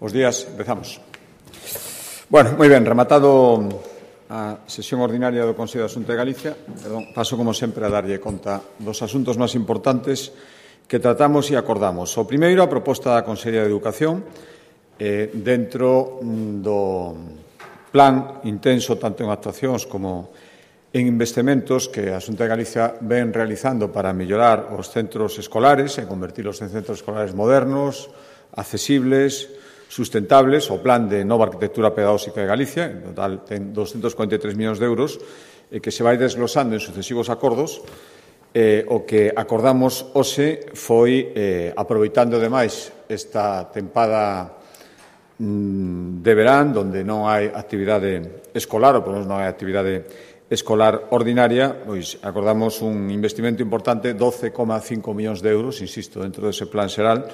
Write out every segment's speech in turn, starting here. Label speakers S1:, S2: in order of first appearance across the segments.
S1: Bos días, empezamos. Bueno, moi ben, rematado a sesión ordinaria do Consello da Xunta de Galicia, paso, como sempre, a darlle conta dos asuntos máis importantes que tratamos e acordamos. O primeiro, a proposta da Consellería de Educación, dentro do plan intenso, tanto en actuacións como en investimentos que a Xunta de Galicia ven realizando para mellorar os centros escolares e convertilos en centros escolares modernos, accesibles, sustentables, o plan de nova arquitectura pedagóxica de Galicia, en total ten 243 millóns de euros, que se vai desglosando en sucesivos acordos. O que acordamos hoxe foi, aproveitando demais esta tempada de verán, onde non hai actividade escolar, ou por menos non hai actividade escolar ordinaria, pois acordamos un investimento importante, 12,5 millóns de euros, insisto, dentro dese plan xeral,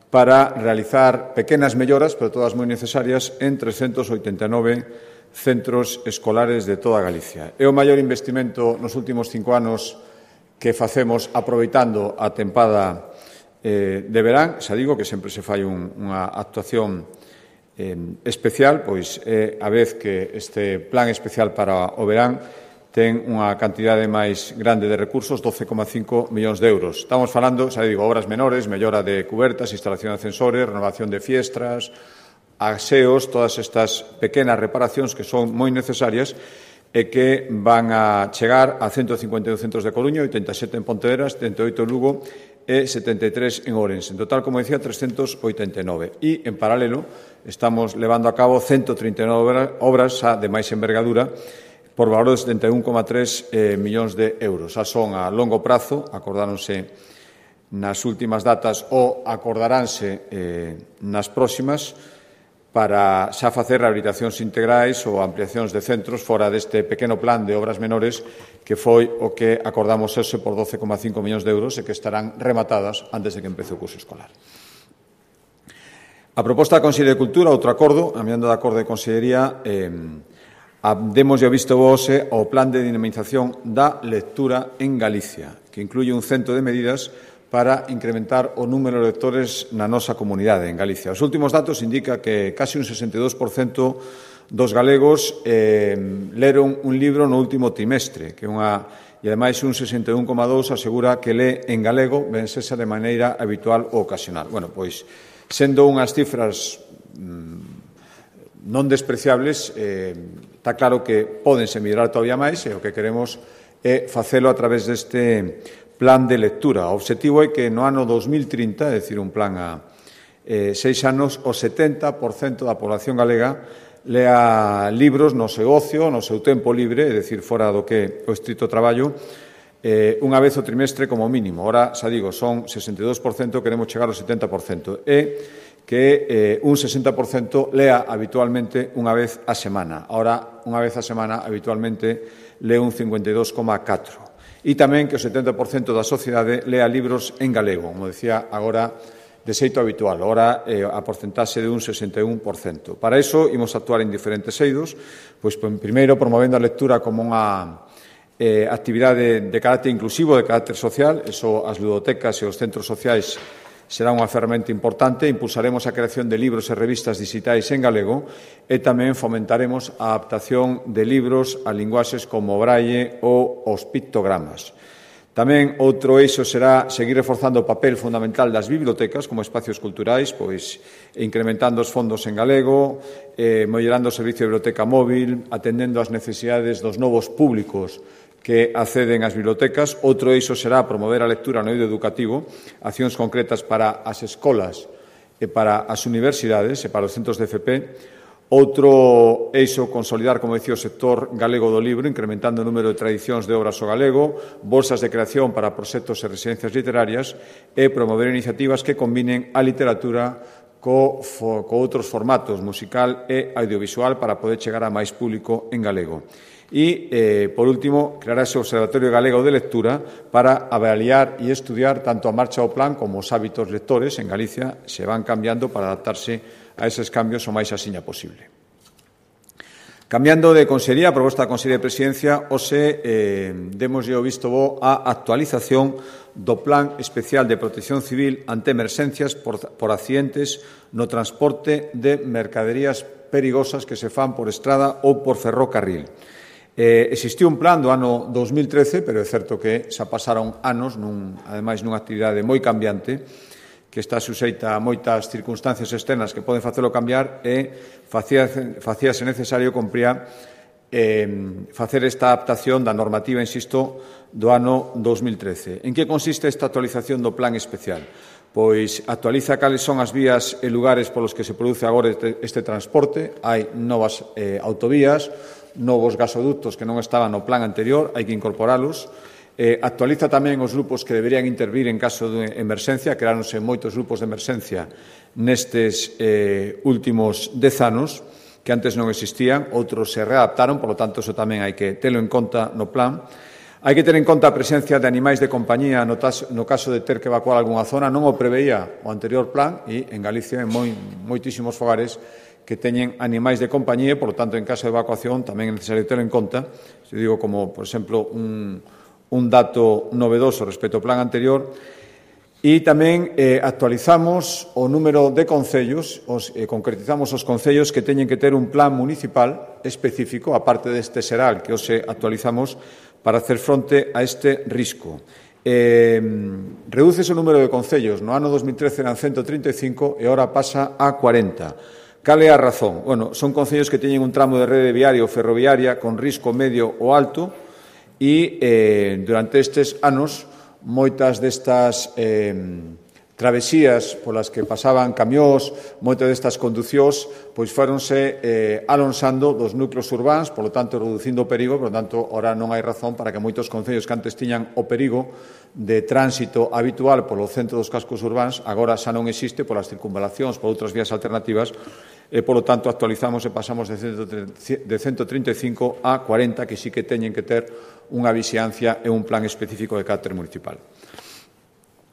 S1: para realizar pequenas melloras, pero todas moi necesarias, en 389 centros escolares de toda Galicia. É o maior investimento nos últimos 5 anos que facemos aproveitando a tempada de verán. Xa digo que sempre se fai unha actuación especial, pois é a vez que este plan especial para o verán ten unha cantidade máis grande de recursos, 12,5 millóns de euros. Estamos falando, xa digo, obras menores, mellora de cubertas, instalación de ascensores, renovación de fiestras, aseos, todas estas pequenas reparacións que son moi necesarias e que van a chegar a 152 centros de Coruña, 87 en Pontevedra, 78 en Lugo e 73 en Ourense. En total, como decía, 389. E, en paralelo, estamos levando a cabo 139 obras xa de máis envergadura por valor de 71,3 millóns de euros. Xa son a longo prazo, acordáronse nas últimas datas ou acordaránse nas próximas para xa facer rehabilitacións integrais ou ampliacións de centros fora deste pequeno plan de obras menores que foi o que acordamos hoxe por 12,5 millóns de euros e que estarán rematadas antes de que empece o curso escolar. A proposta da Consellería de Cultura, outro acordo, a miando de acordo de Consellería, demos o visto hoxe ao plan de dinamización da lectura en Galicia, que incluye un cento de medidas para incrementar o número de lectores na nosa comunidade en Galicia. Os últimos datos indican que casi un 62% dos galegos leron un libro no último trimestre, e ademais un 61,2% asegura que lé en galego, ben sexa de maneira habitual ou ocasional. Bueno, pois, sendo unhas cifras non despreciables, está claro que pódense mellorar todavía máis e o que queremos é facelo a través deste plan de lectura. O obxectivo é que no ano 2030, é dicir, un plan a 6 anos, o 70% da población galega lea libros no seu ocio, no seu tempo libre, é dicir, fora do que o estrito traballo, unha vez o trimestre como mínimo. Ora, xa digo, son 62%, queremos chegar ao 70%. E que un 60% lea habitualmente unha vez a semana. Ahora, unha vez a semana, habitualmente, lee un 52,4%. E tamén que o 70% da sociedade lea libros en galego, como decía agora, de xeito habitual. Ahora, a porcentaxe de un 61%. Para iso, imos actuar en diferentes eidos, pois, primeiro, promovendo a lectura como unha actividade de carácter inclusivo, de carácter social. Eso, as ludotecas e os centros sociais será unha ferramenta importante. Impulsaremos a creación de libros e revistas digitais en galego e tamén fomentaremos a adaptación de libros a linguaxes como o braille ou os pictogramas. Tamén outro eixo será seguir reforzando o papel fundamental das bibliotecas como espacios culturais, pois incrementando os fondos en galego, mellorando o servicio de biblioteca móvil, atendendo ás necesidades dos novos públicos que acceden ás bibliotecas. Outro eixo será promover a lectura no eido educativo, accións concretas para as escolas e para as universidades e para os centros de FP. Outro eixo, consolidar, como dicía, o sector galego do libro, incrementando o número de tradicións de obras ao galego, bolsas de creación para proxectos e residencias literarias e promover iniciativas que combinen a literatura co outros formatos, musical e audiovisual, para poder chegar a máis público en galego. E, por último, creará ese Observatorio Galego de Lectura para avaliar e estudiar tanto a marcha do plan como os hábitos lectores en Galicia se van cambiando para adaptarse a eses cambios o máis asiña posible. Cambiando de consellería, a proposta da Consellería de Presidencia, hoxe demos o visto bo á actualización do Plan Especial de Protección Civil ante emerxencias por accidentes no transporte de mercaderías perigosas que se fan por estrada ou por ferrocarril. Existiu un plan do ano 2013, pero é certo que xa pasaron anos, ademais nunha actividade moi cambiante, que está suxeita a moitas circunstancias externas que poden facelo cambiar e facíase necesario compría facer esta adaptación da normativa, insisto, do ano 2013. En que consiste esta actualización do plan especial? Pois actualiza cales son as vías e lugares polos que se produce agora este transporte. Hai novas autovías, novos gasoductos que non estaban no plan anterior, hai que incorporalos. Actualiza tamén os grupos que deberían intervir en caso de emerxencia. Creáronse moitos grupos de emerxencia nestes últimos 10 anos, que antes non existían, outros se readaptaron, por lo tanto, eso tamén hai que telo en conta no plan. Hai que ter en conta a presencia de animais de compañía no caso de ter que evacuar algunha zona. Non o preveía o anterior plan e en Galicia hai moitísimos fogares que teñen animais de compañía e, por lo tanto, en caso de evacuación tamén é necesario ter en conta. Se digo como, por exemplo, un dato novedoso respecto ao plan anterior. E tamén actualizamos o número de concellos, concretizamos os concellos que teñen que ter un plan municipal específico, aparte deste xeral que hoxe actualizamos, para hacer fronte a este risco. Redúcese o número de concellos. No ano 2013 eran 135 e agora pasa a 40. Cal é a razón? Bueno, son concellos que teñen un tramo de rede viaria ou ferroviaria con risco medio ou alto e durante estes anos moitas destas travesías polas que pasaban camións, moitas destas conducións, pois fóronse alonsando dos núcleos urbáns, polo tanto, reducindo o perigo, por lo tanto, ora non hai razón para que moitos concellos que antes tiñan o perigo de tránsito habitual polo centro dos cascos urbáns, agora xa non existe polas circunvalacións, por outras vías alternativas, e, polo tanto, actualizamos e pasamos de 135 a 40, que sí que teñen que ter unha vixiancia e un plan específico de carácter municipal.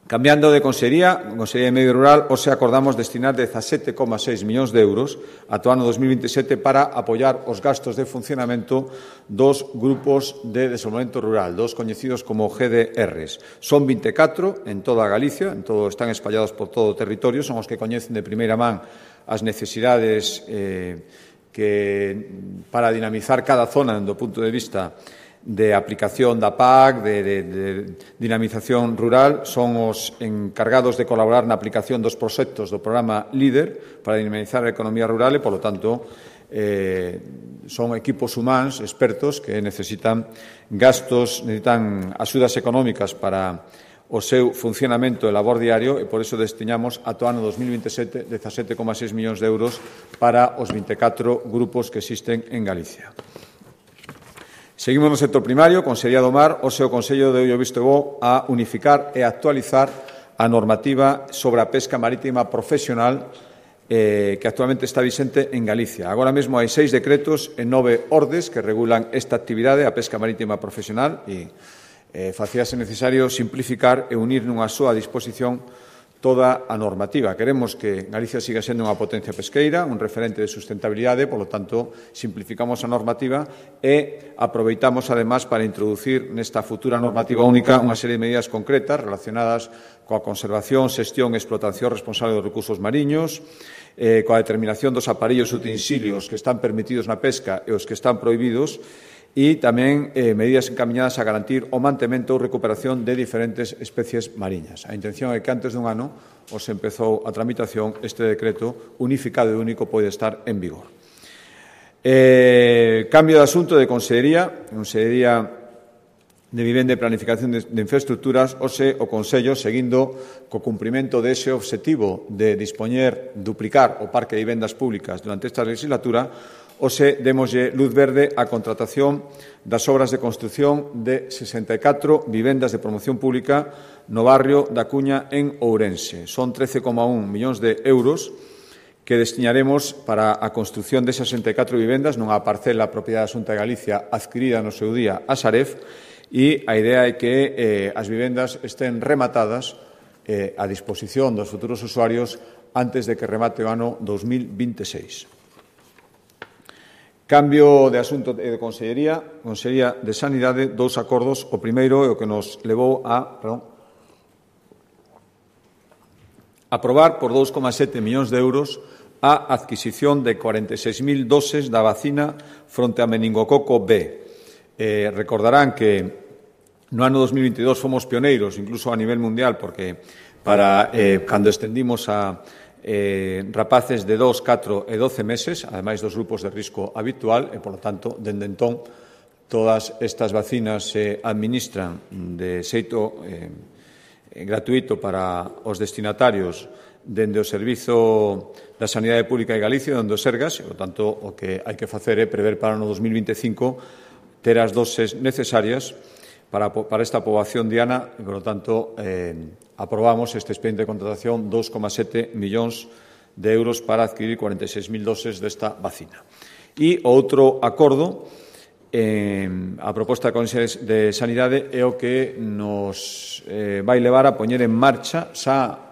S1: Cambiando de Consellería, Consellería de Medio Rural, hoxe acordamos destinar 17,6 millóns de euros ata o ano 2027 para apoiar os gastos de funcionamento dos grupos de desenvolvemento rural, dos coñecidos como GDRs. Son 24 en toda a Galicia, están espallados por todo o territorio, son os que coñecen de primeira man as necesidades para dinamizar cada zona do punto de vista de aplicación da PAC, de dinamización rural, son os encargados de colaborar na aplicación dos proxectos do programa LEADER para dinamizar a economía rural e, polo tanto, son equipos humanos, expertos, que necesitan axudas económicas para o seu funcionamento e labor diario e, por iso, destinamos ata o ano 2027 17,6 millóns de euros para os 24 grupos que existen en Galicia. Seguimos no sector primario. Consellería do Mar, hoxe o Consello deu o visto bo a unificar e actualizar a normativa sobre a pesca marítima profesional que actualmente está vixente en Galicia. Agora mesmo hai 6 decretos e 9 ordes que regulan esta actividade, a pesca marítima profesional, e facíase necesario simplificar e unir nunha soa disposición toda a normativa. Queremos que Galicia siga sendo unha potencia pesqueira, un referente de sustentabilidade, polo tanto, simplificamos a normativa e aproveitamos, además, para introducir nesta futura normativa única unha serie de medidas concretas relacionadas coa conservación, xestión e explotación responsable dos recursos mariños, coa determinación dos aparellos e utensilios que están permitidos na pesca e os que están prohibidos, e tamén medidas encaminadas a garantir o mantemento ou recuperación de diferentes especies mariñas. A intención é que antes dun ano os empezou a tramitación, este decreto unificado e único pode estar en vigor. Cambio de asunto de Consellería. Consellería de Vivenda e Planificación de Infraestructuras, hoxe o Consello, seguindo co cumprimento dese obxectivo de duplicar o parque de vivendas públicas durante esta legislatura, hoxe démoslle luz verde á contratación das obras de construción de 64 vivendas de promoción pública no barrio da Cuña en Ourense. Son 13,1 millóns de euros que destinaremos para a construción de 64 vivendas nunha parcela propiedade da Xunta de Galicia adquirida no seu día a Saref, e a idea é que as vivendas estén rematadas a disposición dos futuros usuarios antes de que remate o ano 2026. Cambio de asunto de Consellería. Consellería de Sanidade, 2 acordos. O primeiro é o que nos levou a aprobar por 2,7 millóns de euros a adquisición de 46.000 doses da vacina fronte a meningococo B. Recordarán que no ano 2022 fomos pioneiros, incluso a nivel mundial, porque cando estendimos a rapaces de 2, 4 e 12 meses, ademais dos grupos de risco habitual, e, polo tanto, dende entón, todas estas vacinas se administran de xeito gratuito para os destinatarios dende o Servizo da Sanidade Pública de Galicia, dende o Sergas, e, por tanto, o que hai que facer é prever para o ano 2025 ter as doses necesarias para esta poboación diana e, por tanto, aprobamos este expediente de contratación 2,7 millóns de euros para adquirir 46.000 doses desta vacina. E outro acordo, a proposta da Consellería de Sanidade é o que nos vai levar a poñer en marcha xa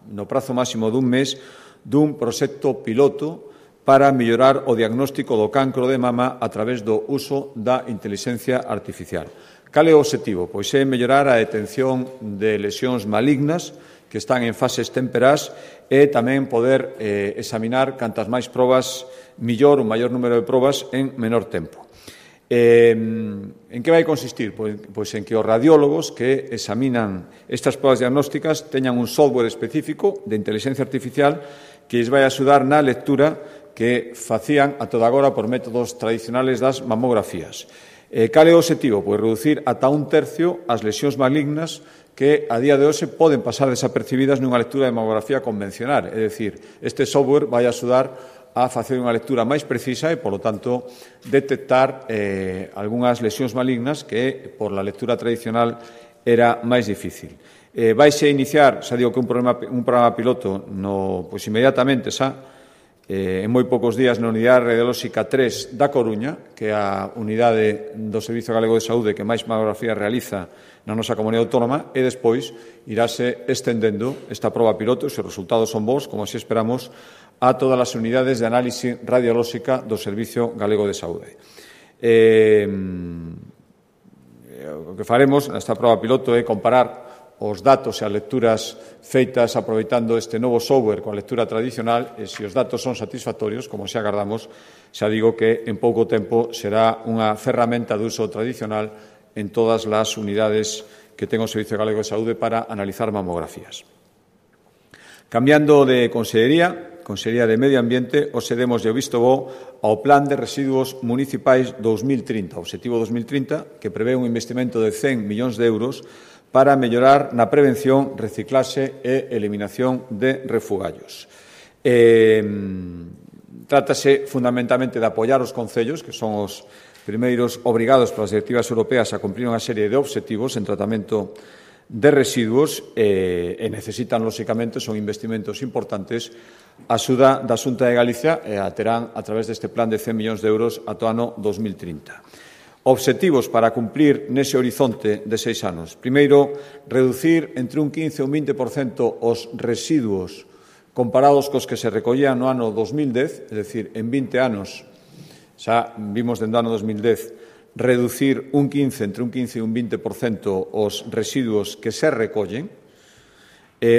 S1: no prazo máximo dun mes dun proxecto piloto para mellorar o diagnóstico do cancro de mama a través do uso da intelixencia artificial. Cal é o obxectivo? Pois é mellorar a detención de lesións malignas que están en fases temperás e tamén poder examinar cantas máis probas mellor, un maior número de probas en menor tempo. En que vai consistir? Pois en que os radiólogos que examinan estas probas diagnósticas teñan un software específico de inteligencia artificial que lles vai axudar na lectura que facían a toda agora por métodos tradicionales das mamografías. Cal é o obxectivo? Pois reducir ata un tercio as lesións malignas que a día de hoxe poden pasar desapercibidas nunha lectura de mamografía convencional. É dicir, este software vai axudar a facer unha lectura máis precisa e, polo tanto, detectar algunhas lesións malignas que, por la lectura tradicional, era máis difícil. Vaise iniciar, xa digo que un programa piloto pois inmediatamente xa, en moi poucos días na Unidade Radiolóxica 3 da Coruña, que é a unidade do Servizo Galego de Saúde que máis mamografía realiza na nosa comunidade autónoma, e despois irase estendendo esta proba piloto, se os resultados son bons, como así esperamos, a todas as unidades de análise radiolóxica do Servizo Galego de Saúde. O que faremos nesta proba piloto é comparar os datos e as lecturas feitas aproveitando este novo software coa lectura tradicional, e se os datos son satisfactorios, como se agardamos, xa digo que en pouco tempo será unha ferramenta de uso tradicional en todas as unidades que ten o Servizo Galego de Saúde para analizar mamografías. Cambiando de Consellería de Medio Ambiente, hoxe demos o visto bo ao Plan de Residuos Municipais 2030, Obxectivo 2030, que prevé un investimento de 100 millóns de euros para mellorar na prevención, reciclaxe e eliminación de refugallos. Trátase fundamentalmente de apoiar os concellos, que son os primeiros obrigados polas directivas europeas a cumprir unha serie de obxectivos en tratamento de residuos e necesitan, lóxicamente, son investimentos importantes. A axuda da Xunta de Galicia a terán a través deste plan de 100 millóns de euros ata o ano 2030. Obxectivos para cumplir nese horizonte de 6 anos. Primeiro, reducir entre un 15 e un 20% os residuos comparados cos que se recollían no ano 2010, é dicir, en 20 anos, xa vimos dende o ano 2010, reducir entre un 15 e un 20% os residuos que se recollen,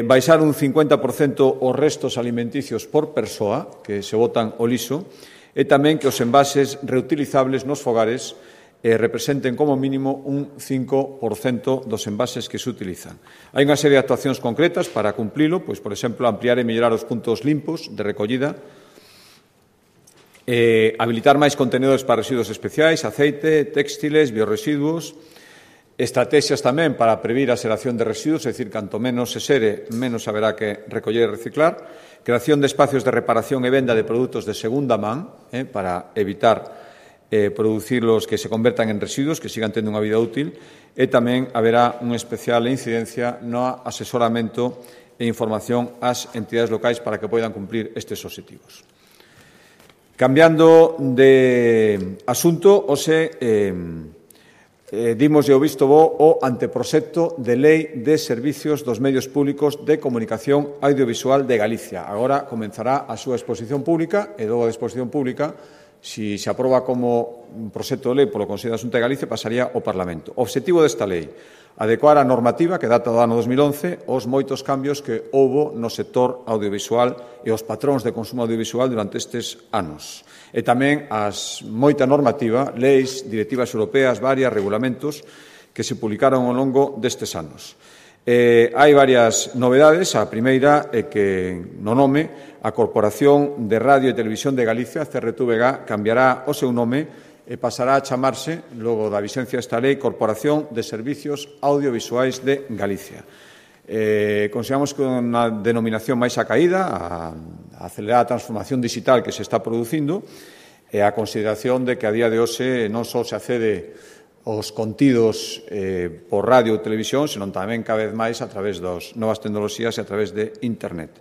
S1: baixar un 50% os restos alimenticios por persoa que se botan ao liso, e tamén que os envases reutilizables nos fogares representen como mínimo un 5% dos envases que se utilizan. Hai unha serie de actuacións concretas para cumplilo, pois, por exemplo, ampliar e mellorar os puntos limpos de recollida, habilitar máis contenedores para residuos especiais, aceite, téxtiles, biorresiduos, estrategias tamén para previr a xeración de residuos, é dicir, canto menos se xere, menos haberá que recoller e reciclar, creación de espacios de reparación e venda de produtos de segunda man, para evitar producirlos que se convertan en residuos, que sigan tendo unha vida útil, e tamén haberá unha especial incidencia no asesoramento e información ás entidades locais para que poidan cumplir estes obxectivos. Cambiando de asunto, hoxe dimos o visto bo o anteproxecto de Lei de Servicios dos Medios Públicos de Comunicación Audiovisual de Galicia. Agora comenzará a súa exposición pública e logo da exposición pública si se aproba como un proxecto de lei polo Consello da Xunta de Galicia, pasaría ao Parlamento. O obxectivo desta lei, adecuar a normativa que data do ano 2011 aos moitos cambios que houbo no sector audiovisual e os patróns de consumo audiovisual durante estes anos. E tamén as moita normativa, leis, directivas europeas, varias, regulamentos que se publicaron ao longo destes anos. Hai varias novedades. A primeira é que, no nome, a Corporación de Radio e Televisión de Galicia, CRTVG, cambiará o seu nome e pasará a chamarse, logo da vixencia desta lei, Corporación de Servicios Audiovisuais de Galicia. Consideramos que unha denominación máis acaída, a acelerada transformación digital que se está producindo, e a consideración de que a día de hoxe non só se accede os contidos por radio ou televisión, senón tamén cada vez máis a través das novas tecnoloxías e a través de Internet.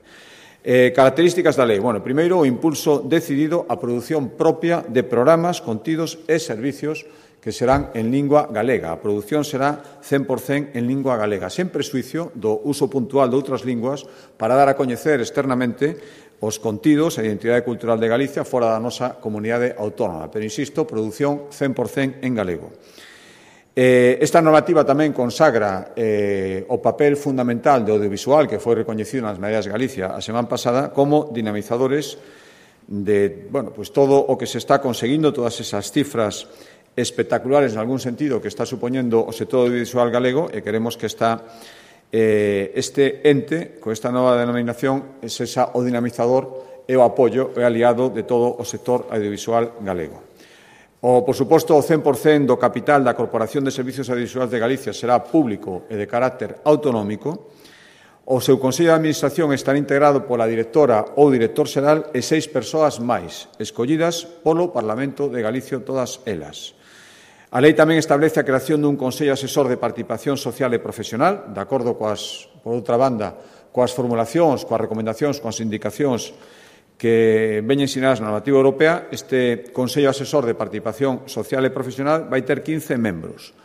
S1: Características da lei. Bueno, primeiro, o impulso decidido á produción propia de programas, contidos e servicios que serán en lingua galega. A produción será 100% en lingua galega, sen prexuicio do uso puntual de outras linguas para dar a coñecer externamente os contidos e a identidade cultural de Galicia fora da nosa comunidade autónoma. Pero, insisto, produción 100% en galego. Esta normativa tamén consagra o papel fundamental do audiovisual que foi recoñecido nas Medallas de Galicia a semana pasada como dinamizadores de todo o que se está conseguindo, todas esas cifras espectaculares en algún sentido que está supoñendo o sector audiovisual galego, e queremos que este ente, con esta nova denominación, é o dinamizador e o apoio e aliado de todo o sector audiovisual galego. Por suposto, o 100% do capital da Corporación de Servicios Audiovisuais de Galicia será público e de carácter autonómico. O seu Consello de Administración estará integrado pola directora ou director xeral e 6 persoas máis, escollidas polo Parlamento de Galicia, todas elas. A lei tamén establece a creación dun Consello Asesor de Participación Social e Profesional, de acordo por outra banda, coas formulacións, coas recomendacións, coas indicacións que veñen sinadas na normativa europea. Este Consello Asesor de Participación Social e Profesional vai ter 15 membros,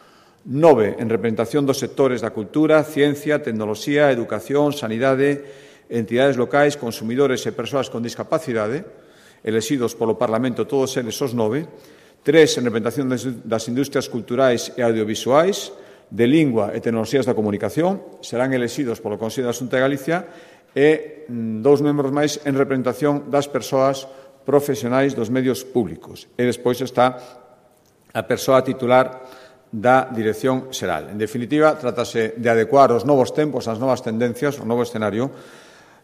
S1: 9 en representación dos sectores da cultura, ciencia, tecnoloxía, educación, sanidade, entidades locais, consumidores e persoas con discapacidade, elexidos polo Parlamento todos eles os 9, 3 en representación das industrias culturais e audiovisuais, de lingua e tecnoloxías da comunicación, serán elexidos polo Consello da Xunta de Galicia, e 2 membros máis en representación das persoas profesionais dos medios públicos. E despois está a persoa titular da Dirección Xeral. En definitiva, trátase de adecuar os novos tempos, as novas tendencias, o novo escenario,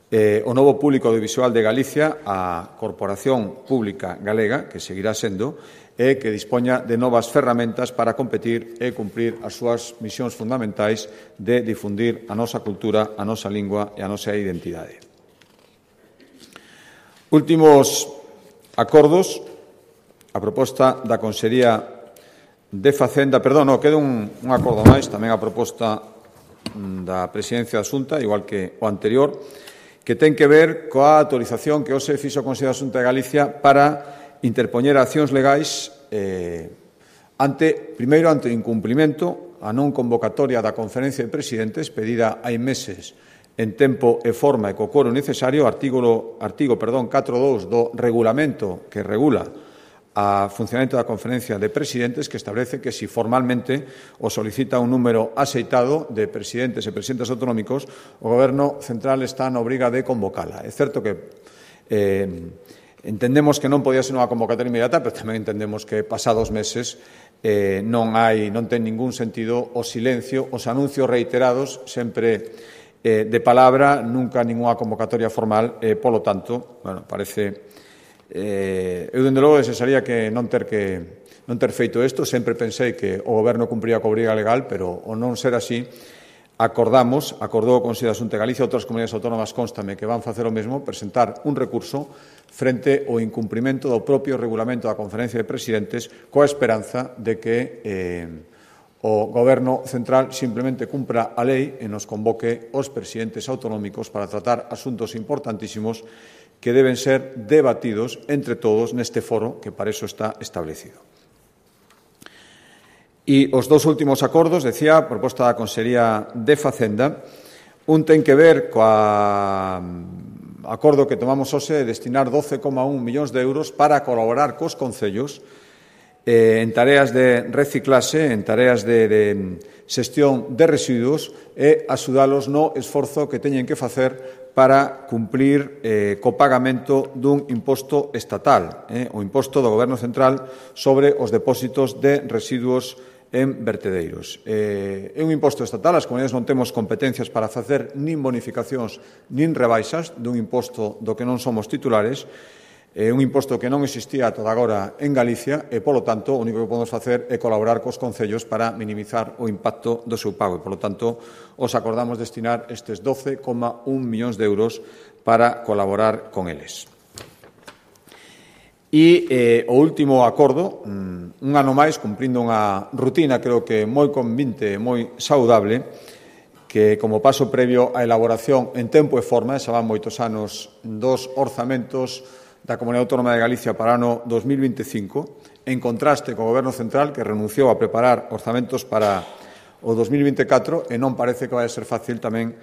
S1: o novo público audiovisual de Galicia á Corporación Pública Galega, que seguirá sendo, e que dispoña de novas ferramentas para competir e cumprir as súas misións fundamentais de difundir a nosa cultura, a nosa lingua e a nosa identidade. Últimos acordos. A proposta da Consellería de Facenda, queda un acordo máis, tamén a proposta da Presidencia da Xunta, igual que o anterior, que ten que ver coa autorización que hoxe fixo o Consello da Xunta de Galicia para interpoñer accións legais primeiro ante o incumprimento a non convocatoria da Conferencia de Presidentes pedida hai meses en tempo e forma e co quórum necesario, artigo 4.2 do regulamento que regula a funcionamento da Conferencia de Presidentes, que establece que si formalmente o solicita un número axeitado de presidentes e presidentes autonómicos, o Goberno central está na obriga de convocala. É certo que entendemos que non podía ser unha convocatoria inmediata, pero tamén entendemos que pasados meses non ten ningún sentido o silencio, os anuncios reiterados, sempre de palabra, nunca ninguna convocatoria formal, polo tanto, parece... eu, dende logo, desearía que non ter feito isto. Sempre pensei que o Goberno cumpría coa obriga legal, pero ao non ser así, acordou o Consello da Xunta de Galicia, outras comunidades autónomas constame que van facer o mesmo, presentar un recurso frente ao incumprimento do propio regulamento da Conferencia de Presidentes, coa esperanza de que o Goberno central simplemente cumpra a lei e nos convoque os presidentes autonómicos para tratar asuntos importantísimos que deben ser debatidos entre todos neste foro que para iso está establecido. E os 2 últimos acordos, decía, a proposta da Consellería de Facenda, un ten que ver coa acordo que tomamos hoxe é destinar 12,1 millóns de euros para colaborar cos concellos en tareas de reciclaxe, en tareas de xestión de residuos e axudalos no esforzo que teñen que facer para cumplir co pagamento dun imposto estatal, o imposto do Goberno Central sobre os depósitos de residuos en vertedeiros. É un imposto estatal, as comunidades non temos competencias para facer nin bonificacións nin rebaixas dun imposto do que non somos titulares. É un imposto que non existía ata agora en Galicia e, polo tanto, o único que podemos facer é colaborar cos concellos para minimizar o impacto do seu pago. E, polo tanto, os acordamos destinar estes 12,1 millóns de euros para colaborar con eles. E o último acordo, un ano máis, cumprindo unha rutina, creo que moi convinte, moi saudable, que como paso previo á elaboración en tempo e forma, xa van moitos anos dos orzamentos da Comunidade Autónoma de Galicia para o ano 2025, en contraste co Goberno Central, que renunciou a preparar orzamentos para o 2024 e non parece que vai ser fácil tamén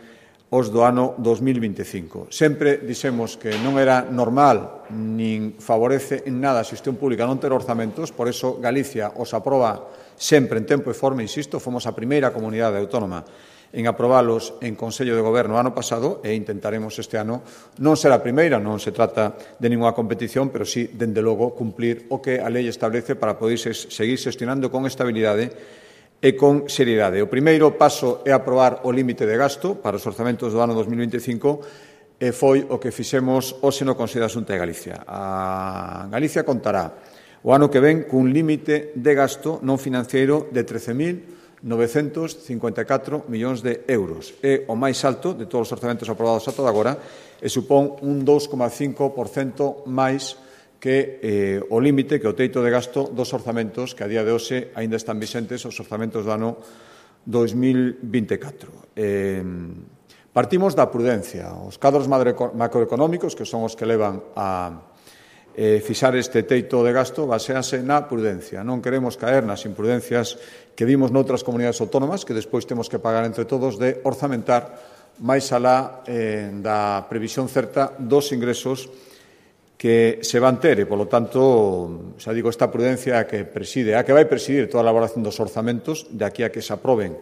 S1: os do ano 2025. Sempre dixemos que non era normal nin favorece en nada a xestión pública non ter orzamentos, por eso Galicia os aproba sempre en tempo e forma, insisto, fomos a primeira comunidade autónoma en aprobalos en Consello de Goberno ano pasado e intentaremos este ano non ser a primeira, non se trata de ninguna competición, pero sí, dende logo, cumplir o que a lei establece para poder seguir xestionando con estabilidade e con seriedade. O primeiro paso é aprobar o límite de gasto para os orzamentos do ano 2025 e foi o que fixemos hoxe no Consello da Xunta de Galicia. A Galicia contará o ano que ven cun límite de gasto non financiero de 13.954 millóns de euros. É o máis alto de todos os orzamentos aprobados ata agora e supón un 2,5% máis que o límite, que o teito de gasto dos orzamentos que a día de hoxe aínda están vixentes os orzamentos do ano 2024. Partimos da prudencia. Os cadros macroeconómicos, que son os que levan a fixar este teito de gasto, basease na prudencia. Non queremos caer nas imprudencias que vimos noutras comunidades autónomas, que despois temos que pagar entre todos, de orzamentar máis alá da previsión certa dos ingresos que se van ter e, polo tanto, xa digo, esta prudencia que preside, a que vai presidir toda a elaboración dos orzamentos de aquí a que se aproben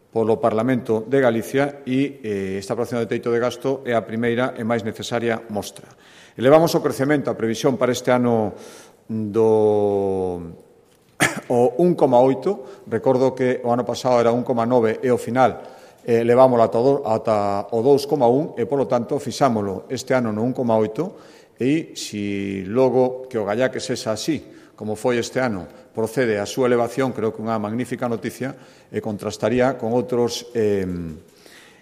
S1: polo Parlamento de Galicia e esta aprobación de teito de gasto é a primeira e máis necesaria mostra. Elevamos o crecemento, a previsión para este ano do 1,8. Recordo que o ano pasado era 1,9 e ao final levámoslo ata o 2,1 e, polo tanto, fixámolo este ano no 1,8 e, se logo que o gallaque sexa así, como foi este ano, procede a súa elevación, creo que unha magnífica noticia e contrastaría con outros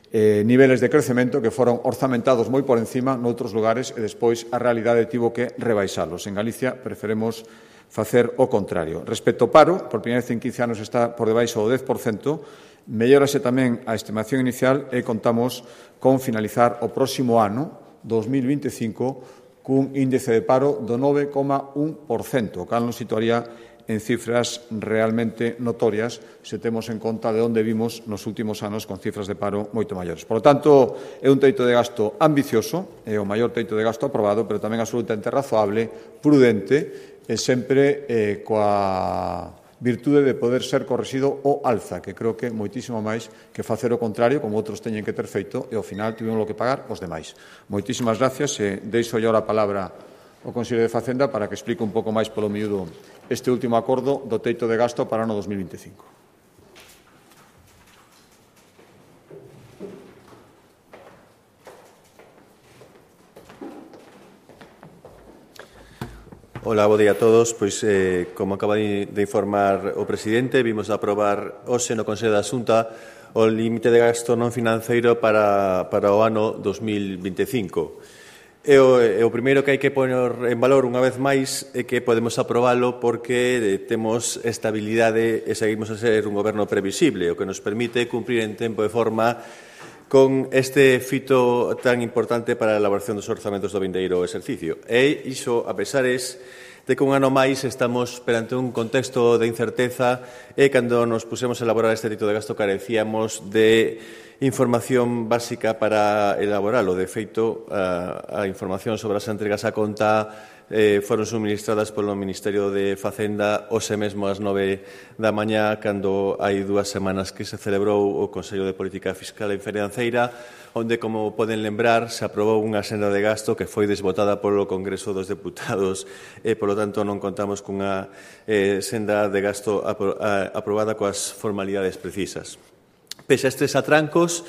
S1: niveles de crecemento que foron orzamentados moi por encima noutros lugares e despois a realidade tivo que rebaixalos. En Galicia preferemos facer o contrario. Respecto ao paro, por primeira vez en 15 anos está por debaixo do 10%, mellórase tamén a estimación inicial e contamos con finalizar o próximo ano, 2025, cun índice de paro do 9,1%, o cal nos situaría en cifras realmente notorias se temos en conta de onde vimos nos últimos anos con cifras de paro moito maiores. Por lo tanto, é un teito de gasto ambicioso, é o maior teito de gasto aprobado, pero tamén absolutamente razoable, prudente e sempre coa virtude de poder ser correxido o alza, que creo que moitísimo máis que facer o contrario, como outros teñen que ter feito, e ao final tivemos que pagar os demais. Moitísimas gracias e deixo yo a palabra ao Consello de Facenda para que explique un pouco máis polo miúdo este último acordo do teito de gasto para o ano 2025.
S2: Hola, bo día a todos. Pois, como acaba de informar o presidente, vimos aprobar hoxe no Consello da Xunta o límite de gasto non financeiro para o ano 2025. E o primeiro que hai que poner en valor unha vez máis é que podemos aprobalo porque temos estabilidade e seguimos a ser un goberno previsible, o que nos permite cumprir en tempo e forma con este fito tan importante para a elaboración dos orzamentos do vindeiro exercicio. E iso, a pesares de que un ano máis estamos perante un contexto de incerteza e cando nos pusemos a elaborar este teito de gasto carecíamos de información básica para elaboralo. De feito, a información sobre as entregas a conta foron suministradas polo Ministerio de Facenda hoxe mesmo ás 9 da mañá, cando hai 2 semanas que se celebrou o Consello de Política Fiscal e Financeira, onde, como poden lembrar, se aprobou unha senda de gasto que foi desbotada polo Congreso dos Deputados e, polo tanto, non contamos cunha senda de gasto aprobada coas formalidades precisas. Pese a estes atrancos,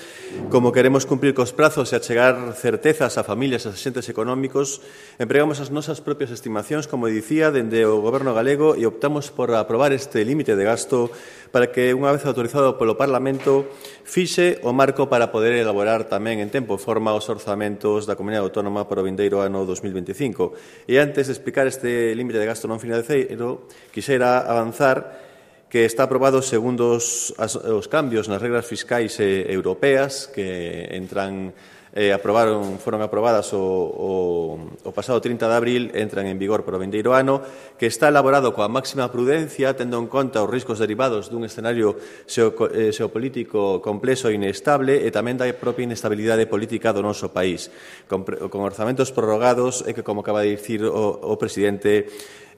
S2: como queremos cumprir cos prazos e achegar certezas a familias e a axentes económicos, empregamos as nosas propias estimacións, como dicía, dende o Goberno galego e optamos por aprobar este límite de gasto para que, unha vez autorizado polo Parlamento, fixe o marco para poder elaborar tamén en tempo e forma os orzamentos da Comunidade Autónoma para o vindeiro ano 2025. E antes de explicar este límite de gasto non financeiro, quixera avanzar que está aprobado segundo os cambios nas regras fiscais europeas que foron aprobadas o pasado 30 de abril, entran en vigor para o vindeiro ano, que está elaborado coa máxima prudencia, tendo en conta os riscos derivados dun escenario xeopolítico complexo e inestable e tamén da propia inestabilidade política do noso país, con orzamentos prorrogados e que, como acaba de dicir o presidente,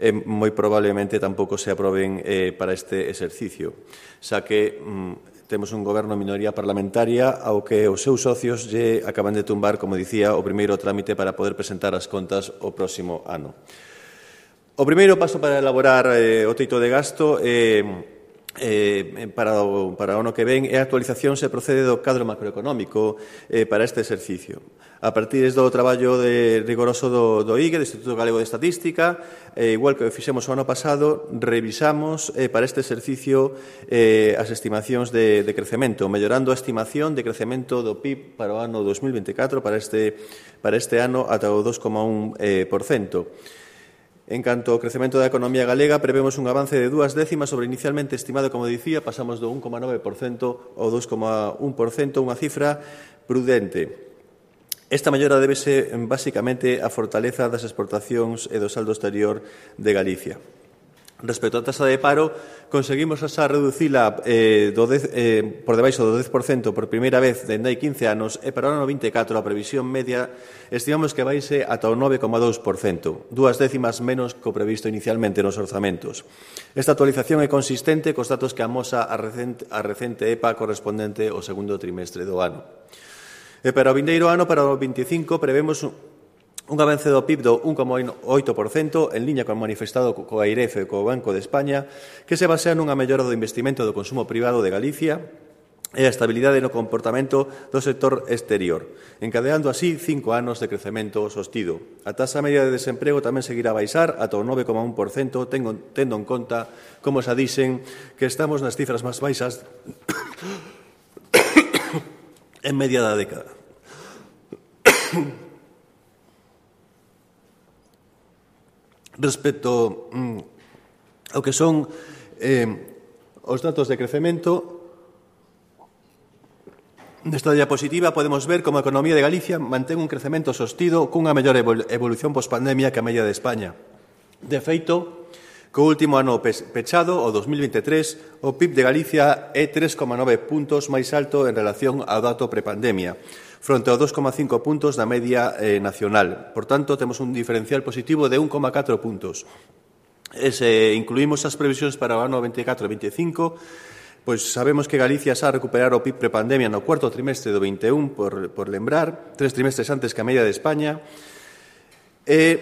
S2: moi probablemente tampouco se aproben para este exercicio, xa que temos un goberno minoría parlamentaria ao que os seus socios lle acaban de tumbar, como dicía, o primeiro trámite para poder presentar as contas o próximo ano. O primeiro paso para elaborar o teito de gasto para o ano que ven é a actualización se procede do cadro macroeconómico para este exercicio. A partir do traballo rigoroso do IGE, do Instituto Galego de Estatística, igual que fixemos o ano pasado, revisamos para este exercicio as estimacións de crecemento, mellorando a estimación de crecemento do PIB para o ano 2024, para este ano, ata o 2,1%. En canto ao crecemento da economía galega, prevemos un avance de 2 décimas sobre inicialmente estimado, como dicía, pasamos do 1,9% ao 2,1%, unha cifra prudente. Esta mellora débese basicamente á fortaleza das exportacións e do saldo exterior de Galicia. Respecto á tasa de paro, conseguimos reducila por debaixo do 10% por primeira vez dende hai 15 anos e para o ano 24 a previsión media estimamos que vaise ata o 9,2%, 2 décimas menos que o previsto inicialmente nos orzamentos. Esta actualización é consistente cos datos que amosa a recente EPA correspondente ao segundo trimestre do ano. E para o vindeiro ano, para o 25, prevemos un avance do PIB do 1,8% en liña con manifestado co AIREF e co Banco de España, que se basea nunha mellora do investimento do consumo privado de Galicia e a estabilidade no comportamento do sector exterior, encadeando así 5 anos de crecemento sostido. A taxa media de desemprego tamén seguirá a baixar ata o 9,1%, tendo en conta, como xa dixen, que estamos nas cifras máis baixas en media da década. Respecto ao que son os datos de crecemento, nesta diapositiva podemos ver como a economía de Galicia mantén un crecemento sostido cunha mellor evolución pospandemia que a media de España. De feito, co último ano pechado, o 2023, o PIB de Galicia é 3,9 puntos máis alto en relación ao dato prepandemia, fronte ao 2,5 puntos da media nacional. Por tanto, temos un diferencial positivo de 1,4 puntos. E se incluímos as previsións para o ano 24 e 25, pois sabemos que Galicia xa recuperar o PIB prepandemia no cuarto trimestre do 21, por lembrar, 3 trimestres antes que a media de España, e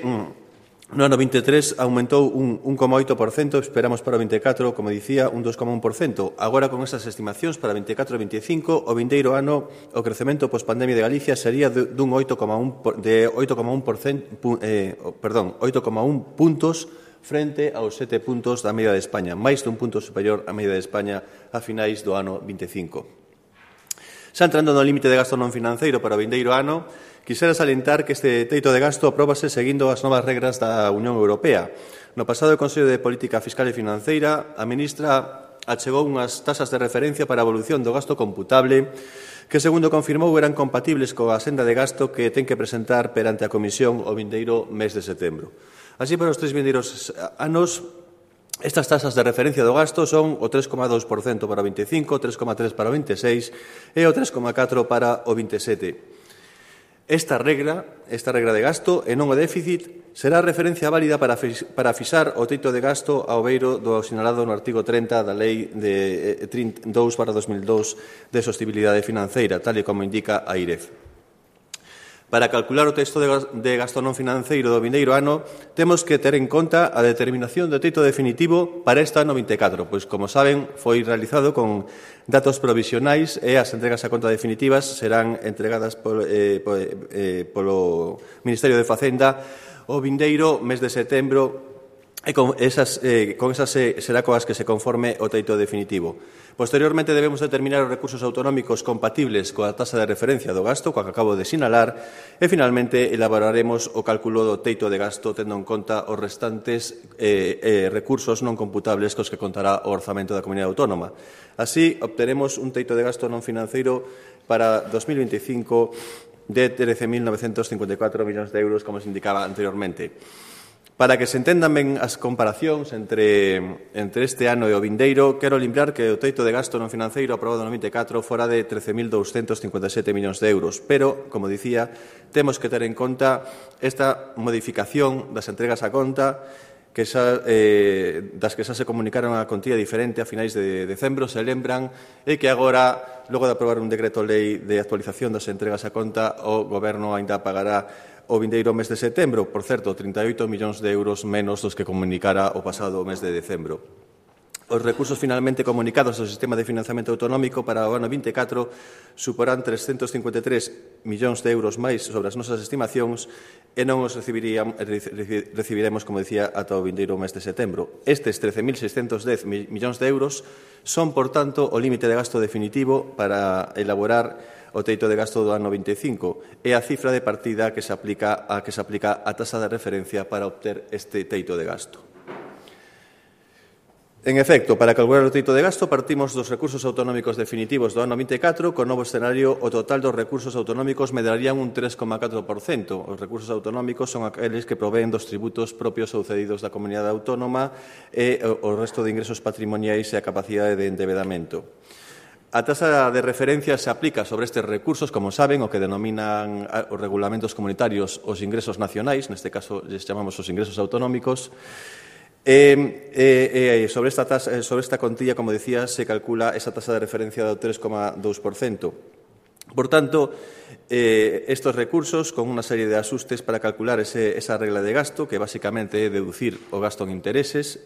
S2: no ano 23 aumentou un 1,8%, esperamos para o 24, como dicía, un 2,1%. Agora, con estas estimacións para 24 e 25, o vindeiro ano, o crecemento pospandemia de Galicia sería dun 8,1 puntos frente aos 7 puntos da media de España, máis dun punto superior á media de España a finais do ano 25. Xa entrando no límite de gasto non financeiro para o vindeiro ano, quixera salientar que este teito de gasto apróbase seguindo as novas regras da Unión Europea. No pasado Consello de Política Fiscal e Financeira, a ministra achegou unhas tasas de referencia para a evolución do gasto computable que, segundo confirmou, eran compatibles coa senda de gasto que ten que presentar perante a Comisión o vindeiro mes de setembro. Así, para os 3 vindeiros anos, Estas tasas de referencia do gasto son o 3,2% para o 25, o 3,3% para o 26 e o 3,4% para o 27. Esta regra de gasto e non o déficit será referencia válida para fixar o teito de gasto ao beiro do sinalado no artigo 30 da Lei de 32/2002 de Sostibilidade Financeira, tal e como indica a IREF. Para calcular o texto de gasto non financeiro do vindeiro ano, temos que ter en conta a determinación do teito definitivo para este ano 24, pois, como saben, foi realizado con datos provisionais e as entregas a conta definitivas serán entregadas polo Ministerio de Facenda o vindeiro mes de setembro e con esas será coas que se conforme o teito definitivo. Posteriormente, debemos determinar os recursos autonómicos compatibles coa tasa de referencia do gasto, coa que acabo de sinalar, e, finalmente, elaboraremos o cálculo do teito de gasto tendo en conta os restantes recursos non computables cos que contará o orzamento da Comunidade Autónoma. Así, obteremos un teito de gasto non financeiro para 2025 de 13.954 millóns de euros, como se indicaba anteriormente. Para que se entendan ben as comparacións entre este ano e o vindeiro, quero lembrar que o teito de gasto non financeiro aprobado no 24 fora de 13.257 millóns de euros, pero, como dicía, temos que ter en conta esta modificación das entregas a conta das que xa se comunicaron a contía diferente a finais de decembro, se lembran, e que agora, logo de aprobar un decreto lei de actualización das entregas a conta, o Goberno aínda pagará o vindeiro mes de setembro, por certo, 38 millóns de euros menos dos que comunicara o pasado mes de decembro. Os recursos finalmente comunicados ao sistema de financiamento autonómico para o ano 24 suporán 353 millóns de euros máis sobre as nosas estimacións e non os recibiremos, como dicía, ata o vindeiro mes de setembro. Estes 13.610 millóns de euros son, por tanto, o límite de gasto definitivo para elaborar o teito de gasto do ano 25 e a cifra de partida que se aplica a tasa de referencia para obter este teito de gasto. En efecto, para calcular o teito de gasto partimos dos recursos autonómicos definitivos do ano 24, con novo escenario o total dos recursos autonómicos medrarían un 3,4%. Os recursos autonómicos son aqueles que proveen dos tributos propios ou cedidos da comunidade autónoma e o resto de ingresos patrimoniais e a capacidade de endebedamento. A tasa de referencia se aplica sobre estes recursos, como saben, o que denominan os regulamentos comunitarios os ingresos nacionais, neste caso les chamamos os ingresos autonómicos, sobre esta contilla, como decía, se calcula esa tasa de referencia do 3,2%. Por tanto, estos recursos, con unha serie de asustes para calcular esa regla de gasto, que basicamente é deducir o gasto en intereses,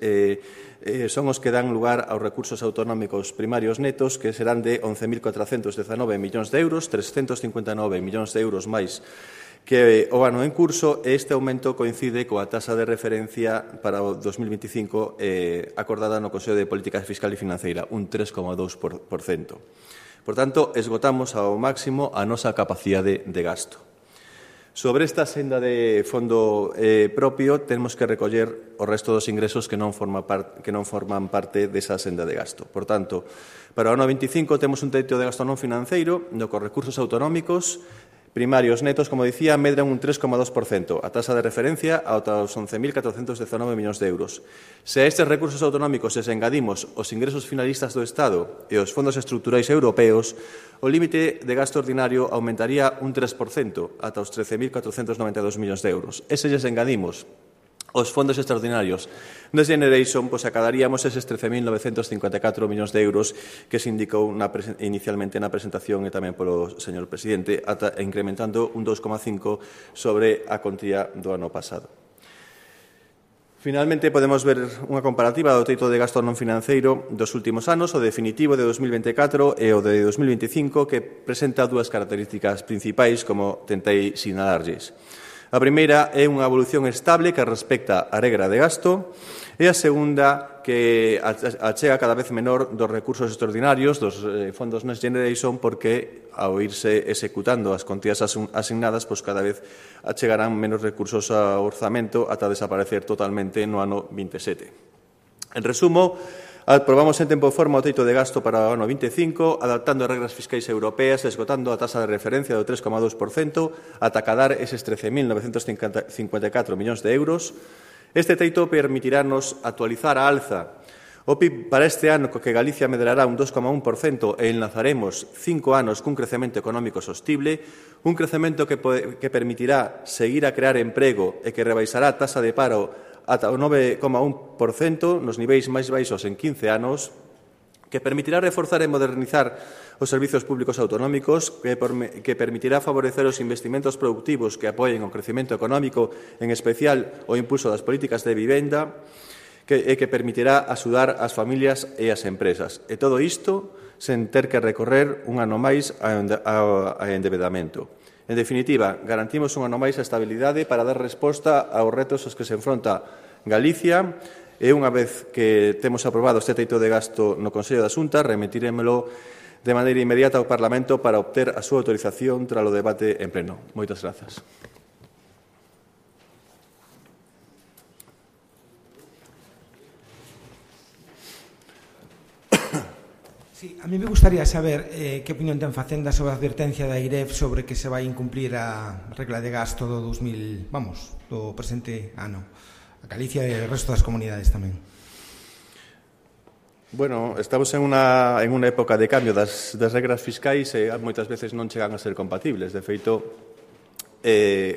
S2: son os que dan lugar aos recursos autonómicos primarios netos, que serán de 11.419 millóns de euros, 359 millóns de euros máis que o ano en curso, e este aumento coincide coa tasa de referencia para o 2025 acordada no Consello de Política Fiscal e Financeira, un 3,2%. Por tanto, esgotamos ao máximo a nosa capacidade de gasto. Sobre esta senda de fondo propio, temos que recoller o resto dos ingresos que non forman parte desa senda de gasto. Por tanto, para o ano 25 temos un teito de gasto non financeiro, no cos recursos autonómicos primarios netos, como dicía, medran un 3,2%, a tasa de referencia aos 11.419 millóns de euros. Se a estes recursos autonómicos les engadimos os ingresos finalistas do Estado e os fondos estruturais europeos, o límite de gasto ordinario aumentaría un 3%, ata os 13.492 millóns de euros. E se les engadimos os fondos extraordinarios Next Generation, pois acadaríamos eses 13.954 millóns de euros que se indicou inicialmente na presentación e tamén polo señor presidente, incrementando un 2,5 sobre a contía do ano pasado. Finalmente, podemos ver unha comparativa do teito de gasto non financeiro dos últimos anos, o definitivo de 2024 e o de 2025, que presenta dúas características principais, como tentei sinalarlles. A primeira é unha evolución estable que respecta a regra de gasto e a segunda que achega cada vez menor dos recursos extraordinarios dos fondos Next Generation, porque ao irse executando as contías asignadas, pois cada vez achegarán menos recursos ao orzamento ata desaparecer totalmente no ano 27. En resumo, aprobamos en tempo e forma o teito de gasto para o ano 25, adaptando as regras fiscais europeas e esgotando a tasa de referencia do 3,2% ata acadar eses 13.954 millóns de euros. Este teito permitirá-nos actualizar a alza o PIB para este ano, que Galicia medrará un 2,1% e enlazaremos 5 anos cun crecemento económico sostible, un crecemento que permitirá seguir a crear emprego e que rebaixará a taxa de paro ata o 9,1% nos niveis máis baixos en 15 anos, que permitirá reforzar e modernizar os servizos públicos autonómicos, que permitirá favorecer os investimentos productivos que apoien o crecemento económico, en especial o impulso das políticas de vivenda, e que permitirá axudar as familias e as empresas. E todo isto sen ter que recorrer un ano máis ao endebedamento. En definitiva, garantimos un ano máis a estabilidade para dar resposta aos retos aos que se enfronta Galicia. E unha vez que temos aprobado este teito de gasto no Consello da Xunta, remitiremelo de maneira inmediata ao Parlamento para obter a súa autorización tras o debate en pleno. Moitas grazas.
S3: Sí, a mí me gustaría saber que opinión ten Facenda sobre a advertencia da IREF sobre que se vai incumplir a regla de gasto do do presente ano. A Galicia e o resto das comunidades tamén.
S2: Bueno, estamos en unha época de cambio das regras fiscais e moitas veces non chegan a ser compatibles. De feito,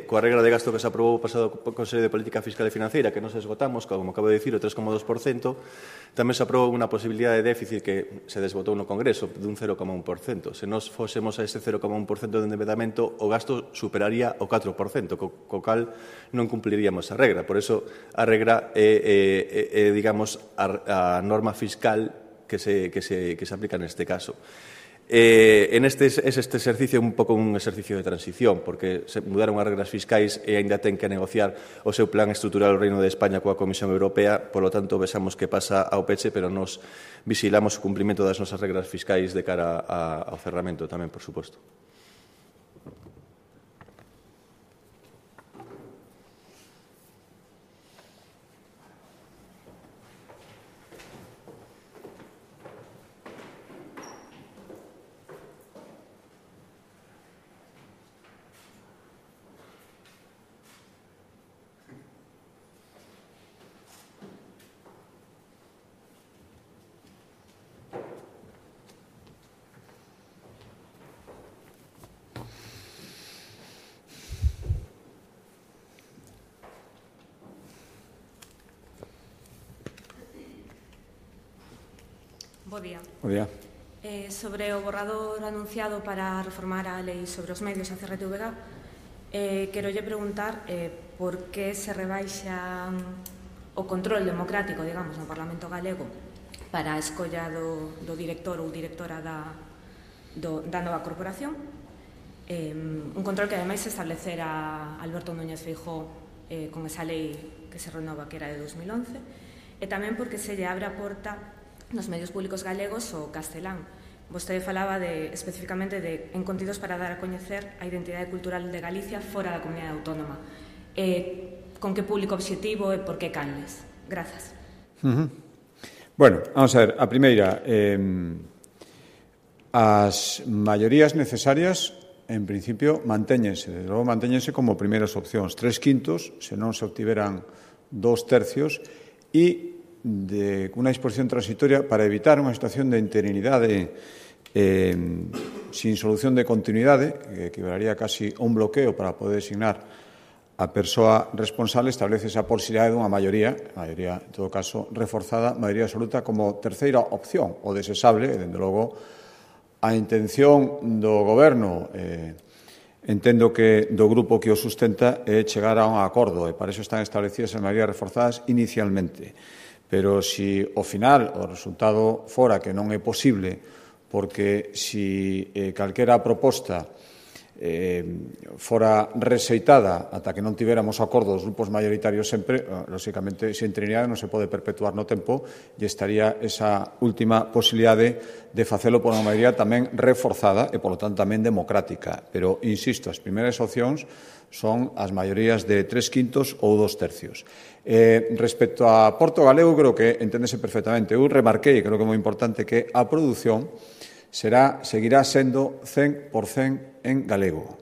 S2: coa regra de gasto que se aprobou o pasado Consello de Política Fiscal e Financeira, que nos esgotamos, como acabo de dicir, o 3,2%, tamén se aprobou unha posibilidade de déficit que se desbotou no Congreso dun 0,1%. Se nos fósemos a ese 0,1% de endeudamento, o gasto superaría o 4%, co cal non cumpliríamos a regra. Por eso, a regra é digamos, a norma fiscal que se aplica neste caso. Este exercicio é un pouco un exercicio de transición, porque se mudaron as regras fiscais e aínda ten que negociar o seu plan estrutural o Reino de España coa Comisión Europea, polo tanto, vexamos que pasa ao peche, pero nos vigilamos o cumprimento das nosas regras fiscais de cara ao cerramento tamén, por suposto.
S4: Bo día.
S1: Bo día.
S4: Sobre o borrador anunciado para reformar a lei sobre os medios a CRTVG, quero lle preguntar por que se rebaixa o control democrático, digamos, no Parlamento galego para a escolla do director ou directora da nova corporación. Un control que, ademais, se establecera Alberto Núñez Feijóo con esa lei que se renova, que era de 2011, e tamén porque se lle abre a porta nos medios públicos galegos o castelán. Vostede falaba especificamente en contidos para dar a coñecer a identidade cultural de Galicia fora da comunidade autónoma. Con que público obxectivo e por que canles? Grazas.
S1: Bueno, vamos a ver. A primeira, as maiorías necesarias, en principio, mantéñense. Desde logo, mantéñense como primeiras opcións. 3/5, se non se obtiveran 2/3, e de unha disposición transitoria para evitar unha situación de interinidade sin solución de continuidade, que equivalaría casi a un bloqueo para poder designar a persoa responsable, establece esa posibilidade dunha maioría, en todo caso, reforzada, maioría absoluta, como terceira opción, o desexable, e, dende logo, a intención do Goberno, entendo que do grupo que o sustenta, é chegar a un acordo, e para iso están establecidas as maiorías reforzadas inicialmente. Pero si ao final o resultado fora que non é posible, porque si calquera proposta fora rexeitada ata que non tiveramos acordo dos grupos maioritarios sempre, lóxicamente, esa interinidade non se pode perpetuar no tempo e estaría esa última posibilidade de facelo por unha maioría tamén reforzada e, polo tanto, tamén democrática. Pero, insisto, as primeiras opcións son as maiorías de 3/5 ou 2/3. Respecto a Porto Galego, creo que enténdese perfectamente. Eu remarquei, creo que é moi importante, que a produción seguirá sendo 100% en galego.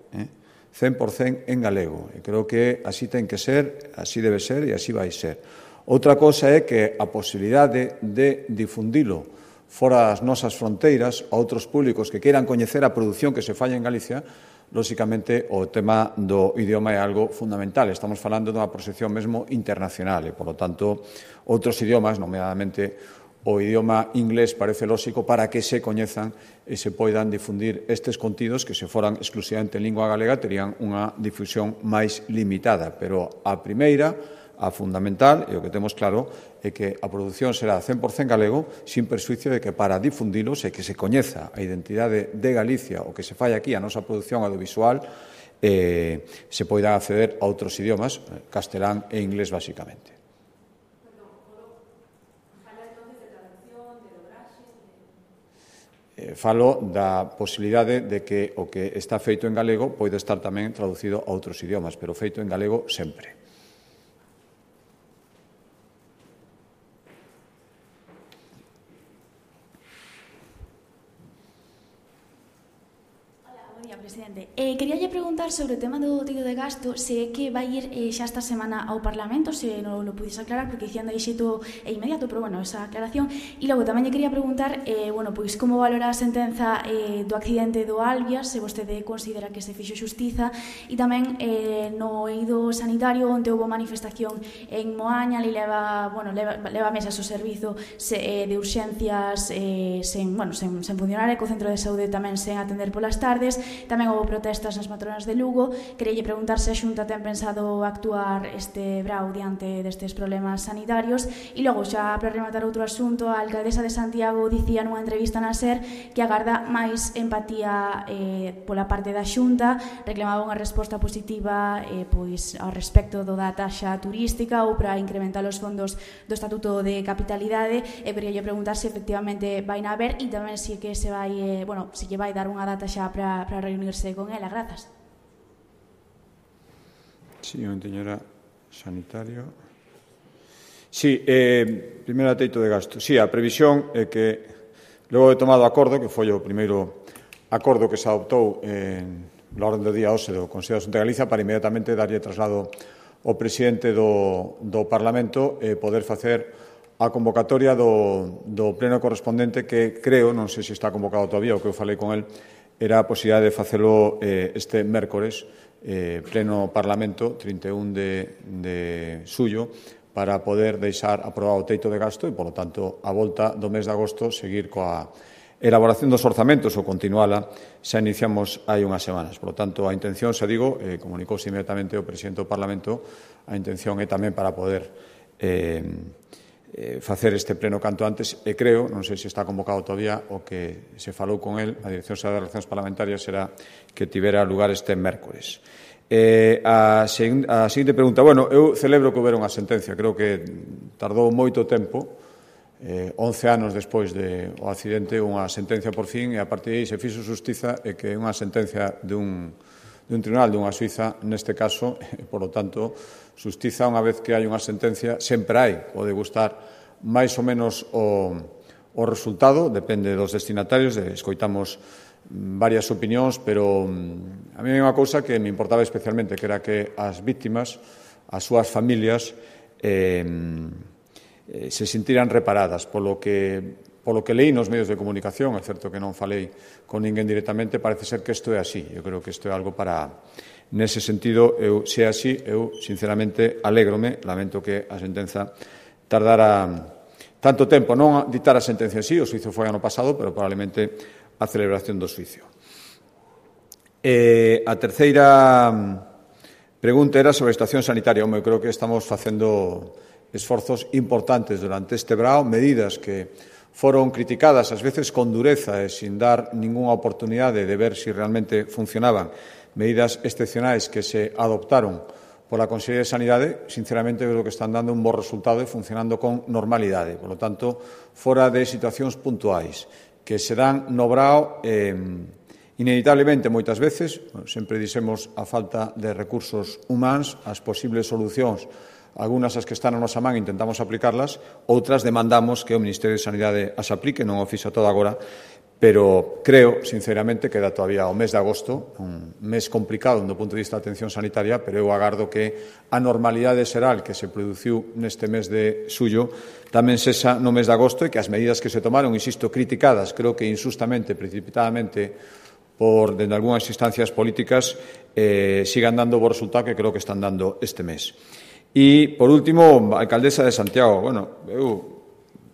S1: 100% en galego. E creo que así ten que ser, así debe ser e así vai ser. Outra cosa é que a posibilidade de difundilo fora das nosas fronteiras a outros públicos que queiran coñecer a produción que se falla en Galicia, lóxicamente o tema do idioma é algo fundamental. Estamos falando dunha proxección mesmo internacional e, polo tanto, outros idiomas, nomeadamente o idioma inglés, parece lóxico para que se coñezan e se poidan difundir estes contidos que se foran exclusivamente en lingua galega terían unha difusión máis limitada. Pero a primeira, a fundamental, e o que temos claro, é que a produción será 100% galego, sin persuicio de que para difundilos e que se coñeza a identidade de Galicia o que se fai aquí a nosa produción audiovisual, se poida acceder a outros idiomas, castelán e inglés, basicamente. Falo da posibilidade de que o que está feito en galego pode estar tamén traducido a outros idiomas, pero feito en galego sempre.
S5: Presidente, queríalle preguntar sobre o tema do teito de gasto, se é que vai ir xa esta semana ao Parlamento, se non lo pudies aclarar, porque dicían de xeito inmediato, pero bueno, esa aclaración. E logo tamén lle quería preguntar, pois como valora a sentenza do accidente do Albias, se vostede considera que se fixo xustiza, e tamén no eido sanitario, onde houve manifestación en Moaña, ali leva mesas o servizo de urxencias sen funcionar, e co centro de saúde tamén sen atender polas tardes. Tamén houve protestas nas matronas de Lugo. Queríalle preguntar se a Xunta ten pensado actuar este brao diante destes problemas sanitarios. E logo, xa para rematar outro asunto, a alcaldesa de Santiago dicía nunha entrevista na SER que agarda máis empatía pola parte da Xunta, reclamaba unha resposta positiva pois ao respecto da taxa turística ou para incrementar os fondos do Estatuto de Capitalidade. Queríalle preguntar se efectivamente vai na ver e tamén se que se vai, se lle vai dar unha data xa para reunirse con ela. Grazas.
S1: Sí, o enteñera sanitario. Sí, primeiro a teito de gasto. Sí, a previsión é que logo de tomado acordo, que foi o primeiro acordo que se adoptou na orden do día hoxe do Consello de Xunta de Galicia para inmediatamente darlle traslado ao presidente do Parlamento e poder facer a convocatoria do pleno correspondente que creo, non sei se está convocado todavía, o que eu falei con el, era a posibilidade de facelo este mércores, pleno Parlamento, 31 de xullo, para poder deixar aprobado o teito de gasto e, polo tanto, a volta do mes de agosto, seguir coa elaboración dos orzamentos ou continuala, xa iniciamos hai unhas semanas. Por lo tanto, a intención, xa digo, comunicouse inmediatamente o presidente do Parlamento, a intención é tamén para poder facer este pleno canto antes e creo, non sei se está convocado todavía, o que se falou con el, a Dirección Xeral de Relacións Parlamentarias será que tivera lugar este mércores. A seguinte pregunta, eu celebro que houbera unha sentencia, creo que tardou moito tempo, 11 anos despois do accidente, unha sentencia por fin, e a partir de aí se fixo xustiza e que unha sentencia dun tribunal dunha Suiza, neste caso, e, por lo tanto, xustiza unha vez que hai unha sentencia, sempre hai, pode gustar máis ou menos o resultado, depende dos destinatarios, escoitamos varias opinións, pero a mí hai unha cousa que me importaba especialmente, que era que as víctimas, as súas familias, se sentiran reparadas polo que leí nos medios de comunicación. É certo que non falei con ninguén directamente, parece ser que isto é así. Eu creo que isto é algo para... Nese sentido, se é así, eu, sinceramente, alégrome, lamento que a sentenza tardara tanto tempo. Non a dictar a sentencia así, o xuizo foi ano pasado, pero probablemente a celebración do xuizo. A terceira pregunta era sobre a estación sanitaria. Eu creo que estamos facendo esforzos importantes durante este brao, medidas que foron criticadas ás veces con dureza e sin dar ningunha oportunidade de ver se realmente funcionaban, medidas excepcionais que se adoptaron pola Consellería de Sanidade, sinceramente creo que están dando un bo resultado e funcionando con normalidade. Por lo tanto, fora de situacións puntuais que se dan no brao inevitablemente moitas veces, sempre dixemos a falta de recursos humanos, as posibles solucións, algunhas as que están na nosa man intentamos aplicarlas, outras demandamos que o Ministerio de Sanidade as aplique, non o fixo todo agora, pero creo, sinceramente, que queda todavía o mes de agosto, un mes complicado do punto de vista da atención sanitaria, pero eu agardo que a normalidade xeral que se produciu neste mes de xullo tamén sexa no mes de agosto e que as medidas que se tomaron, insisto, criticadas, creo que injustamente, precipitadamente, dende algunhas instancias políticas, sigan dando bo resultado que creo que están dando este mes. E, por último, a alcaldesa de Santiago. Bueno, eu,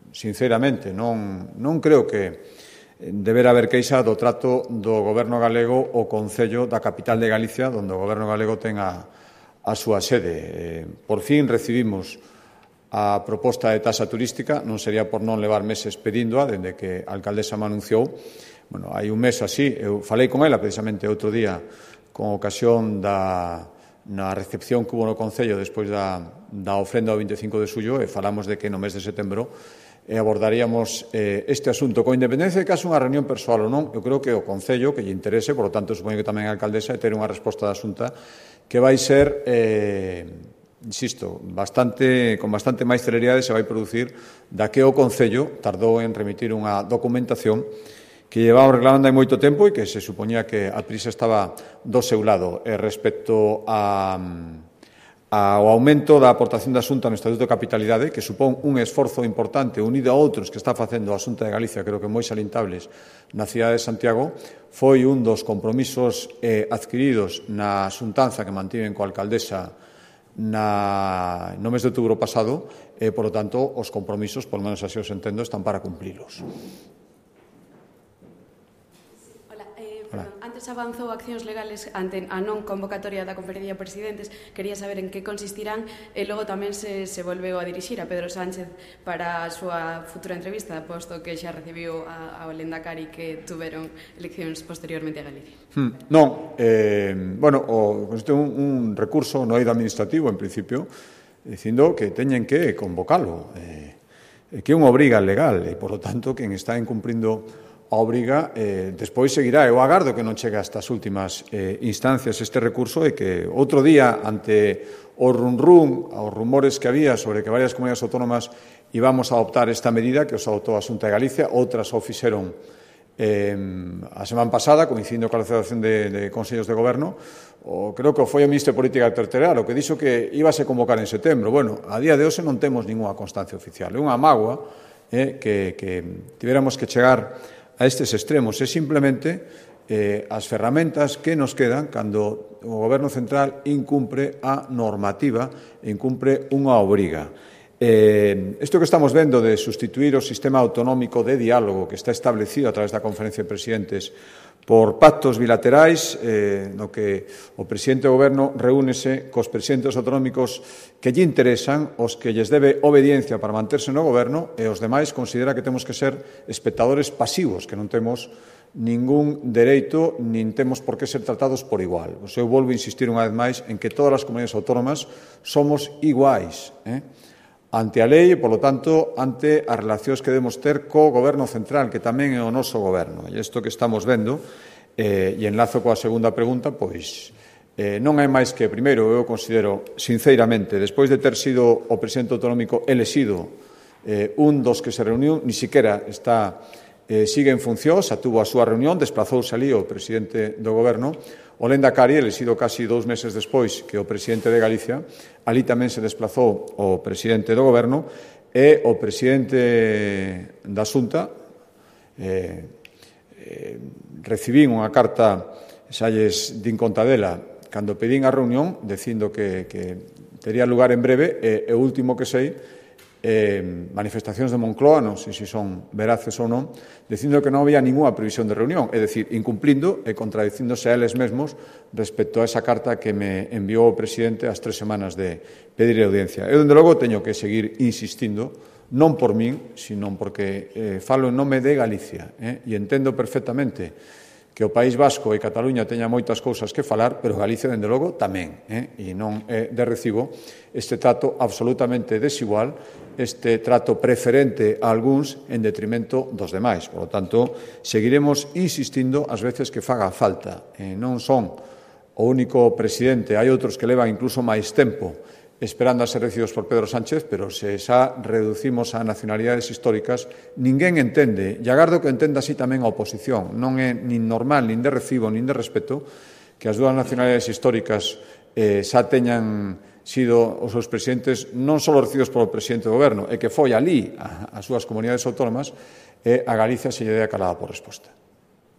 S1: sinceramente, non creo que deberá haber queixa do trato do Goberno galego o Concello da capital de Galicia, onde o Goberno galego ten a súa sede. Por fin recibimos a proposta de taxa turística, non sería por non levar meses pedíndoa, dende que a alcaldesa me anunciou. Bueno, hai un mes así, eu falei con ela precisamente outro día con ocasión na recepción que hubo no Concello despois da ofrenda do 25 de xullo e falamos de que no mes de setembro abordaríamos este asunto. Con independencia de que haxa unha reunión persoal ou non, eu creo que o Concello, que lle interese, por lo tanto, supoño que tamén a alcaldesa, ter unha resposta da Xunta que vai ser, insisto, con bastante máis celeridade se vai producir da que o Concello tardou en remitir unha documentación que llevamos reclamando hai moito tempo e que se supoñía que a prisa estaba do seu lado. Respecto ao aumento da aportación da Xunta no Estatuto de Capitalidade, que supón un esforzo importante unido a outros que está facendo a Xunta de Galicia, creo que moi salientables, na cidade de Santiago, foi un dos compromisos adquiridos na xuntanza que mantiven coa alcaldesa no mes de outubro pasado e, por lo tanto, os compromisos, por lo menos así os entendo, están para cumprilos.
S6: Antes avanzou accións legales ante a non convocatoria da Conferencia de Presidentes. Quería saber en que consistirán e logo tamén se volveu a dirixir a Pedro Sánchez para a súa futura entrevista, posto que xa recibiu ao Lendakari que tuveron eleccións posteriormente a Galicia.
S1: Non, consiste un recurso no eido administrativo, en principio, dicindo que teñen que convocalo, que é unha obriga legal e, por lo tanto, quen está incumprindo a obriga, despois seguirá. Eu agardo que non chegue a estas últimas instancias este recurso e que outro día, ante o os rumores que había sobre que varias comunidades autónomas íbamos a adoptar esta medida que os adoptou a Xunta de Galicia, outras o fixeron a semana pasada, coincidindo coa celebración de Consellos de Goberno, creo que foi o Ministro de Política Territorial o que dixo que íbase a convocar en setembro. Bueno, a día de hoxe non temos ninguna constancia oficial. É unha mágoa que tivéramos que chegar a estes extremos. É simplemente as ferramentas que nos quedan cando o Goberno Central incumpre a normativa, incumpre unha obriga. Isto que estamos vendo de sustituir o sistema autonómico de diálogo que está establecido a través da Conferencia de Presidentes por pactos bilaterais, no que o presidente do Goberno reúnese cos presidentes autonómicos que lle interesan, os que lles debe obediencia para manterse no Goberno, e os demais considera que temos que ser espectadores pasivos, que non temos ningún dereito, nin temos por que ser tratados por igual. Eu volvo a insistir unha vez máis en que todas as comunidades autónomas somos iguais, ante a lei e, polo tanto, ante as relacións que debemos ter co Goberno Central, que tamén é o noso Goberno. E isto que estamos vendo, e enlazo coa segunda pregunta, pois non é máis que, primeiro, eu considero, sinceramente, despois de ter sido o presidente autonómico elexido un dos que se reuniu, ni siquiera sigue en función, xa tuvo a súa reunión, desplazouse ali o presidente do Goberno, o Lendakari, elexido casi 2 meses despois que o presidente de Galicia, ali tamén se desplazou o presidente do Goberno e o presidente da Xunta. Recibín unha carta, xa lles din conta dela, cando pedín a reunión, dicindo que tería lugar en breve, e o último que sei, manifestacións de Moncloa, non sei se son veraces ou non, dicindo que non había ninguna previsión de reunión, é dicir, incumplindo e contradicíndose a eles mesmos respecto a esa carta que me enviou o presidente ás 3 semanas de pedir audiencia. Eu, dende logo, teño que seguir insistindo, non por min, sino porque falo en nome de Galicia, e entendo perfectamente que o País Vasco e Cataluña teña moitas cousas que falar, pero Galicia, dende logo, tamén. E non é de recibo este trato absolutamente desigual, este trato preferente a algúns en detrimento dos demais. Por lo tanto, seguiremos insistindo as veces que faga falta. Non son o único presidente, hai outros que levan incluso máis tempo esperando a ser recibidos por Pedro Sánchez, pero se xa reducimos a nacionalidades históricas, ninguén entende, e agardo que entenda así tamén a oposición, non é nin normal, nin de recibo, nin de respeto, que as dúas nacionalidades históricas xa teñan sido os seus presidentes non só recibidos polo presidente do goberno, e que foi ali as súas comunidades autónomas, e a Galicia se lle dea calada por resposta.